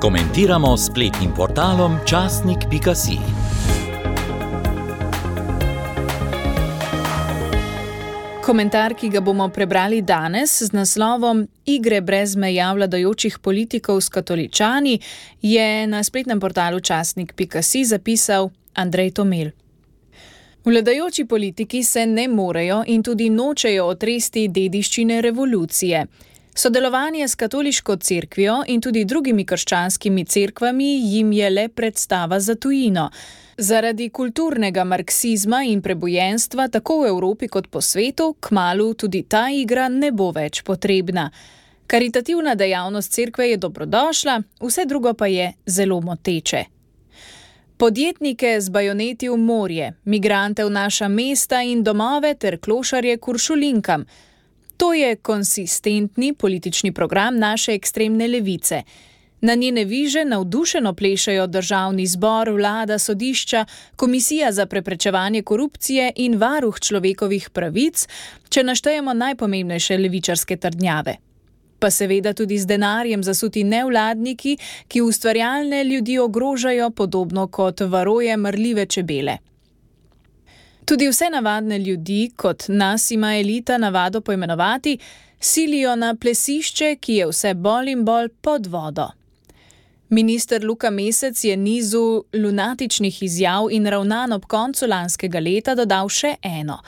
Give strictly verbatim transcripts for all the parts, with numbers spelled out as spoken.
Komentiramo s spletnim portalom časnik pika si. Komentar, ki ga bomo prebrali danes z naslovom Igre brez meja vladajočih politikov s katoličani, je na spletnem portalu časnik pika si zapisal Andrej Tomel. Vladajoči politiki se ne morejo in tudi nočejo otresti dediščine revolucije. Sodelovanje s katoliško cerkvijo in tudi drugimi krščanskimi cerkvami jim je le predstava za tujino. Zaradi kulturnega marksizma in prebojenstva tako v Evropi kot po svetu, kmalu tudi ta igra ne bo več potrebna. Karitativna dejavnost cerkve je dobrodošla, vse drugo pa je zelo moteče. Podjetnike z bajoneti v morje, migrante v naša mesta in domove ter klošarje k uršulinkam. To je konsistentni politični program naše ekstremne levice. Na njene viže navdušeno plešajo državni zbor, vlada, sodišča, komisija za preprečevanje korupcije in varuh človekovih pravic, če naštejemo najpomembnejše levičarske trdnjave. Pa seveda tudi z denarjem zasuti nevladniki, ki ustvarjalne ljudi ogrožajo podobno kot varoje mrljive čebele. Tudi vse navadne ljudi, kot nas ima elita navado poimenovati, silijo na plesišče, ki je vse bolj in bolj pod vodo. Minister Luka Mesec je nizu lunatičnih izjav in ravnanj ob koncu lanskega leta dodal še eno.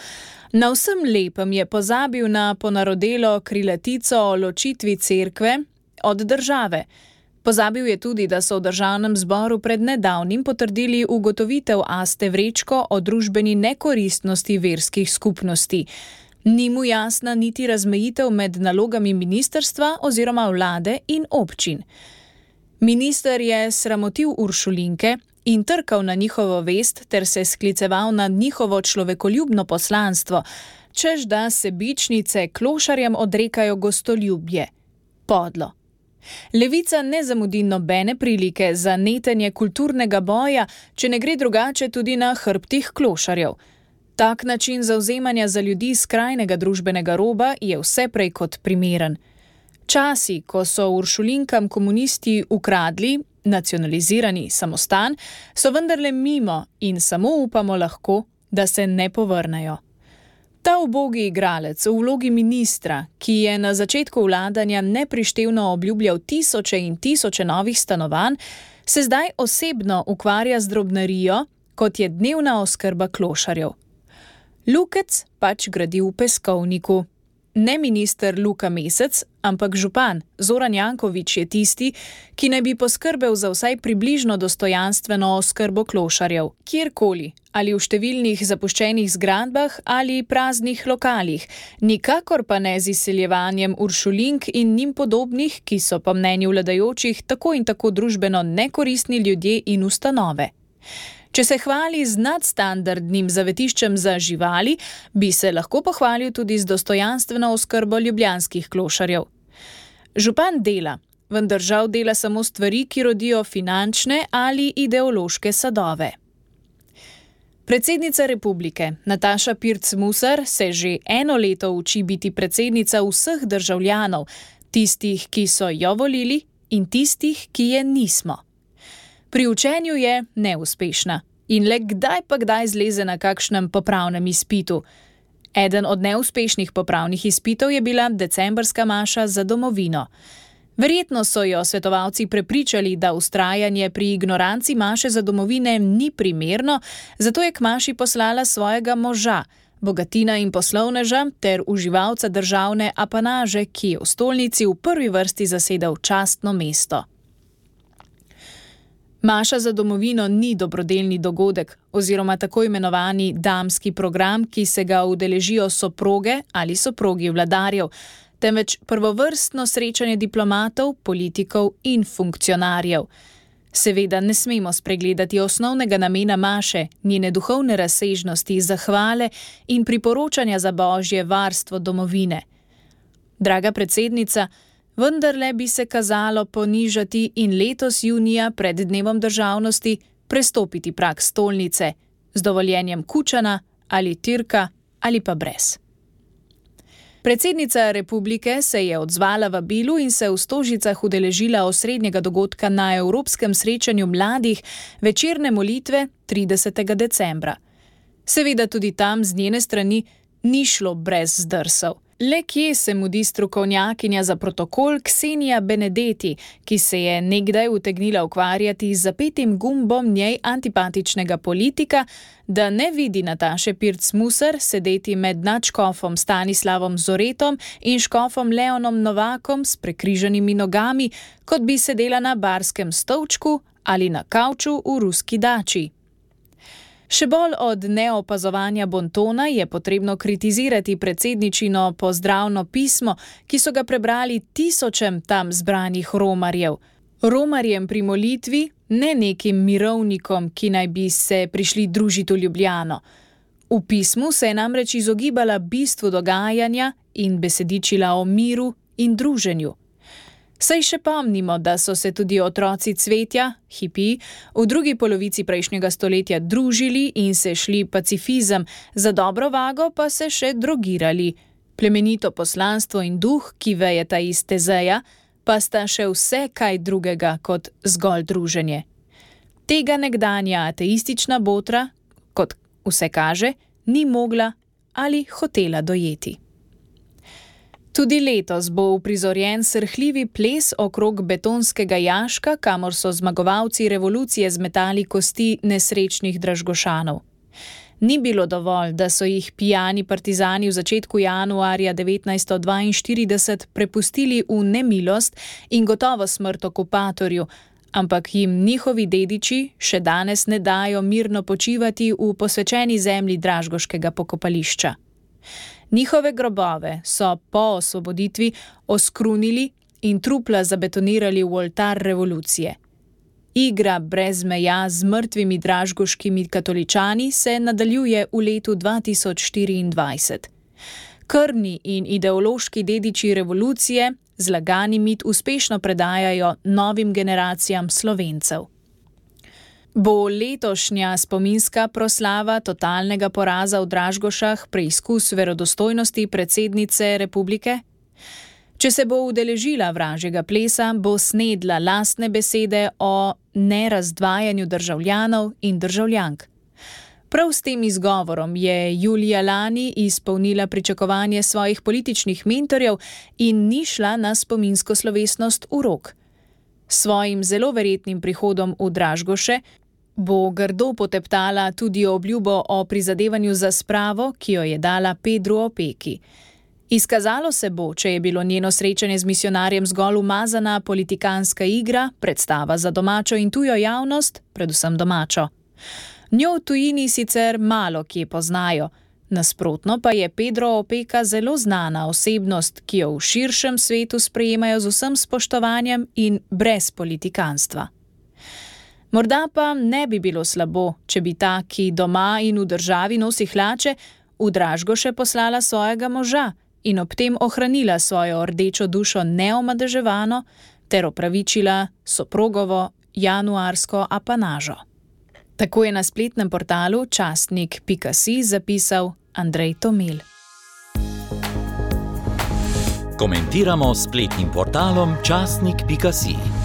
Na vsem lepem je pozabil na ponarodelo krilatico o ločitvi cerkve od države. Pozabil je tudi, da so v državnem zboru pred nedavnim potrdili ugotovitev Aste Vrečko o družbeni nekoristnosti verskih skupnosti. Ni mu jasna niti razmejitev med nalogami ministrstva oziroma vlade in občin. Minister je sramotil uršulinke in trkal na njihovo vest ter se skliceval na njihovo človekoljubno poslanstvo, čež da sebičnice klošarjem odrekajo gostoljubje. Podlo. Levica ne zamudi nobene prilike za netenje kulturnega boja, če ne gre drugače tudi na hrbtih klošarjev. Tak način zavzemanja za ljudi skrajnega družbenega roba je vse prej kot primeren. Časi, ko so uršulinkam komunisti ukradli nacionalizirani samostan, so vendarle mimo in samo upamo lahko, da se ne povrnejo. Ta ubogi igralec v vlogi ministra, ki je na začetku vladanja neprištevno obljubljal tisoče in tisoče novih stanovanj, se zdaj osebno ukvarja z drobnarijo, kot je dnevna oskrba klošarjev. Lukec pač gradi v peskovniku. Ne minister Luka Mesec, ampak župan Zoran Janković je tisti, ki naj bi poskrbel za vsaj približno dostojanstveno oskrbo klošarjev, kjerkoli, ali v številnih zapuščenih zgradbah ali praznih lokalih, nikakor pa ne z izseljevanjem uršulink in njim podobnih, ki so po mnenju vladajočih tako in tako družbeno nekoristni ljudje in ustanove. Če se hvali z nadstandardnim zavetiščem za živali, bi se lahko pohvalil tudi z dostojanstveno oskrbo ljubljanskih klošarjev. Župan dela, vendar žal dela samo stvari, ki rodijo finančne ali ideološke sadove. Predsednica republike Nataša Pirc Musar se že eno leto uči biti predsednica vseh državljanov, tistih, ki so jo volili in tistih, ki je nismo. Pri učenju je neuspešna in le kdaj pa kdaj zleze na kakšnem popravnem izpitu. Eden od neuspešnih popravnih izpitov je bila decembrska maša za domovino. Verjetno so jo svetovalci prepričali, da vztrajanje pri ignoranci maše za domovine ni primerno, zato je k maši poslala svojega moža, bogatina in poslovneža ter uživalca državne apanaže, ki je v stolnici v prvi vrsti zasedal častno mesto. Maša za domovino ni dobrodelni dogodek oziroma tako imenovani damski program, ki se ga udeležijo soproge ali soprogi vladarjev, temveč prvovrstno srečanje diplomatov, politikov in funkcionarjev. Seveda ne smemo spregledati osnovnega namena maše, njene duhovne razsežnosti, zahvale in priporočanja za božje varstvo domovine. Draga predsednica, vendarle bi se kazalo ponižati in letos junija pred dnevom državnosti prestopiti prag stolnice z dovoljenjem Kučana ali Tirka ali pa brez. Predsednica republike se je odzvala vabilu in se v Stožicah udeležila osrednjega dogodka na Evropskem srečanju mladih večerne molitve tridesetega decembra. Seveda tudi tam z njene strani ni šlo brez zdrsov. Le kje se mudi strokovnjakinja za protokol Ksenija Benedetti, ki se je nekdaj utegnila ukvarjati z zapetim gumbom njej antipatičnega politika, da ne vidi Nataše Pirc Musar sedeti med nadškofom Stanislavom Zoretom in škofom Leonom Novakom s prekrižanimi nogami, kot bi sedela na barskem stolčku ali na kavču v ruski dači. Še bolj od neopazovanja bontona je potrebno kritizirati predsedničino pozdravno pismo, ki so ga prebrali tisočem tam zbranih romarjev. Romarjem pri molitvi, ne nekim mirovnikom, ki naj bi se prišli družiti v Ljubljano. V pismu se je namreč izogibala bistvu dogajanja in besedičila o miru in druženju. Saj še pomnimo, da so se tudi otroci cvetja, hipi, v drugi polovici prejšnjega stoletja družili in se šli pacifizem, za dobro vago pa se še drogirali. Plemenito poslanstvo in duh, ki vejeta iz Tezeja, pa sta še vse kaj drugega kot zgolj druženje. Tega nekdanja ateistična botra, kot vse kaže, ni mogla ali hotela dojeti. Tudi letos bo uprizorjen srhljivi ples okrog betonskega jaška, kamor so zmagovalci revolucije zmetali kosti nesrečnih Dražgošanov. Ni bilo dovolj, da so jih pijani partizani v začetku januarja devetnajststo dvainštirideset prepustili v nemilost in gotovo smrt okupatorju, ampak jim njihovi dediči še danes ne dajo mirno počivati v posvečeni zemlji dražgoškega pokopališča. Njihove grobove so po osvoboditvi oskrunili in trupla zabetonirali v oltar revolucije. Igra brez meja z mrtvimi dražgoškimi katoličani se nadaljuje v letu dva tisoč štiriindvajset. Krvni in ideološki dediči revolucije zlagani mit uspešno predajajo novim generacijam Slovencev. Bo letošnja spominska proslava totalnega poraza v Dražgošah preizkus verodostojnosti predsednice republike? Če se bo udeležila vražjega plesa, bo snedla lastne besede o nerazdvajanju državljanov in državljank. Prav s tem izgovorom je julija lani izpolnila pričakovanje svojih političnih mentorjev in ni šla na spominsko slovesnost v Rog. Svojim zelo verjetnim prihodom v Dražgoše bo grdo poteptala tudi obljubo o prizadevanju za spravo, ki jo je dala Pedru Opeki. Izkazalo se bo, če je bilo njeno srečanje z misijonarjem zgolj umazana politikanska igra, predstava za domačo in tujo javnost, predvsem domačo. Njo v tujini sicer malo kje poznajo, nasprotno pa je Pedro Opeka zelo znana osebnost, ki jo v širšem svetu sprejemajo z vsem spoštovanjem in brez politikanstva. Morda pa ne bi bilo slabo, če bi ta, ki doma in v državi nosi hlače, v Dražgoše poslala svojega moža in ob tem ohranila svojo rdečo dušo neomadeževano ter opravičila soprogovo januarsko apanažo. Tako je na spletnem portalu časnik pika si zapisal Andrej Tomel. Komentiramo s spletnim portalom časnik pika si.